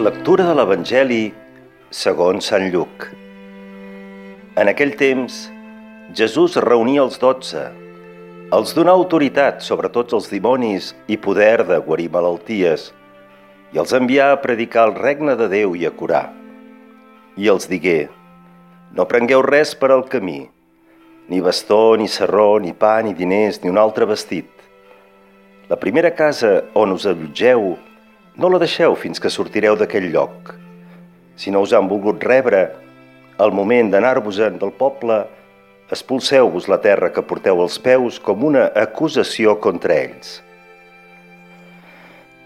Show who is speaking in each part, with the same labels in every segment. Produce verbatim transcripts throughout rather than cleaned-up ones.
Speaker 1: Lectura de l'Evangeli segons Sant Lluc. En aquell temps, Jesús reunia els dotze, els donà autoritat sobre tots els dimonis i poder de guarir malalties, i els envià a predicar el regne de Déu i a curar. I els digué: no prengueu res per al camí, ni bastó, ni sarró, ni pa, ni diners, ni un altre vestit. La primera casa on us allotgeu, no la deixeu fins que sortireu d'aquell lloc. Si no us han volgut rebre, al moment d'anar-vos-en del poble, expulseu-vos la terra que porteu als peus com una acusació contra ells.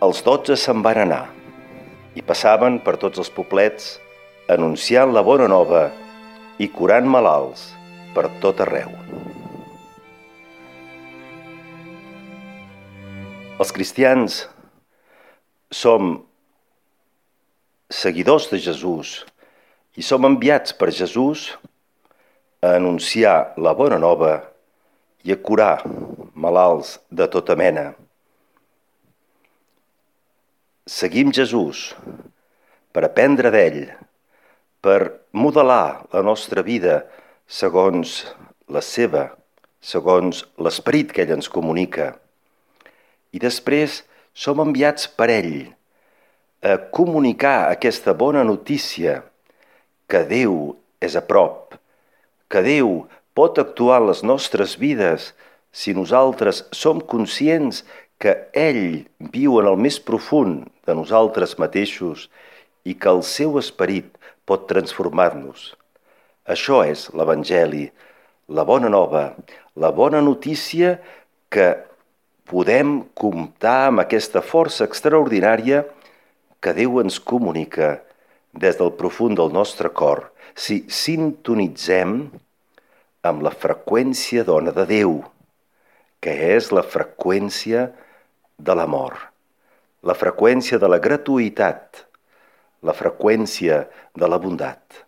Speaker 1: Els dotze se'n van anar i passaven per tots els poblets, anunciant la bona nova i curant malalts per tot arreu. Els cristians som seguidors de Jesús i som enviats per Jesús a anunciar la bona nova i a curar malalts de tota mena. Seguim Jesús per aprendre d'ell, per modelar la nostra vida segons la seva, segons l'esperit que ell ens comunica. I després som enviats per ell a comunicar aquesta bona notícia que Déu és a prop, que Déu pot actuar en les nostres vides si nosaltres som conscients que ell viu en el més profund de nosaltres mateixos i que el seu esperit pot transformar-nos. Això és l'Evangeli, la bona nova, la bona notícia que podem comptar amb aquesta força extraordinària que Déu ens comunica des del profund del nostre cor si sintonitzem amb la freqüència dona de Déu, que és la freqüència de l'amor, la freqüència de la gratuïtat, la freqüència de la bondat,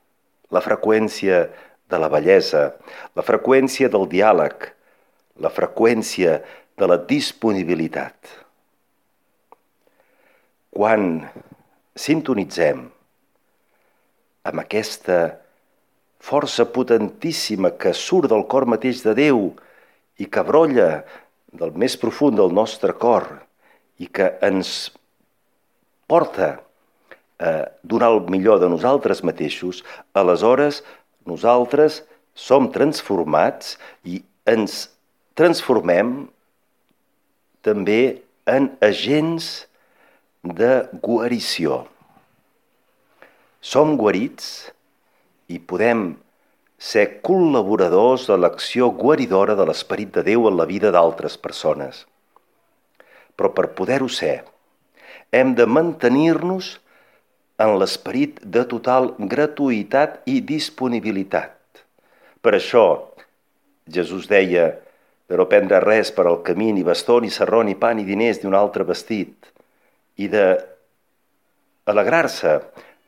Speaker 1: la freqüència de la bellesa, la freqüència del diàleg, la freqüència de la disponibilitat. Quan sintonitzem amb aquesta força potentíssima que surt del cor mateix de Déu i que brolla del més profund del nostre cor i que ens porta a donar el millor de nosaltres mateixos, aleshores nosaltres som transformats i ens transformem també en agents de guarició. Som guarits i podem ser col·laboradors de l'acció guaridora de l'Esperit de Déu en la vida d'altres persones. Però per poder-ho ser, hem de mantenir-nos en l'esperit de total gratuïtat i disponibilitat. Per això, Jesús deia de no prendre res per al camí, ni bastó, ni sarró, ni pa, ni diners, ni un altre vestit, i de alegrar-se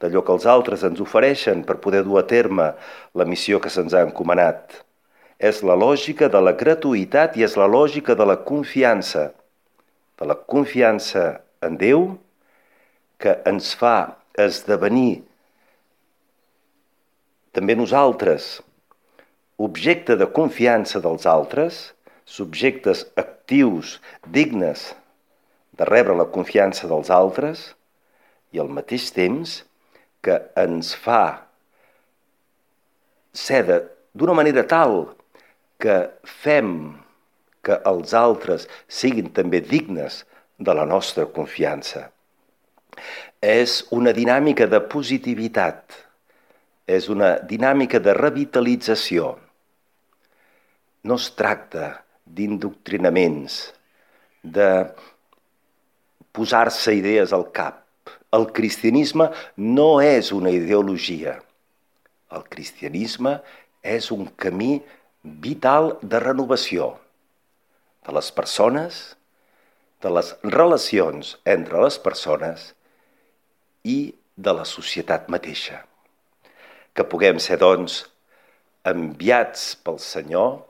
Speaker 1: d'allò que els altres ens ofereixen per poder dur a terme la missió que se'ns ha encomanat. És la lògica de la gratuïtat i és la lògica de la confiança, de la confiança en Déu, que ens fa esdevenir també nosaltres objecte de confiança dels altres, subjectes actius, dignes de rebre la confiança dels altres, i al mateix temps que ens fa ser d'una manera tal que fem que els altres siguin també dignes de la nostra confiança. És una dinàmica de positivitat, és una dinàmica de revitalització. No es tracta d'indoctrinaments, de posar-se idees al cap. El cristianisme no és una ideologia. El cristianisme és un camí vital de renovació de les persones, de les relacions entre les persones i de la societat mateixa. Que puguem ser, doncs, enviats pel Senyor,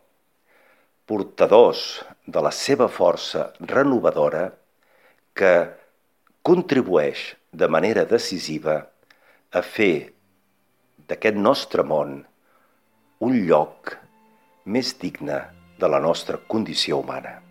Speaker 1: portadors de la seva força renovadora que contribueix de manera decisiva a fer d'aquest nostre món un lloc més digne de la nostra condició humana.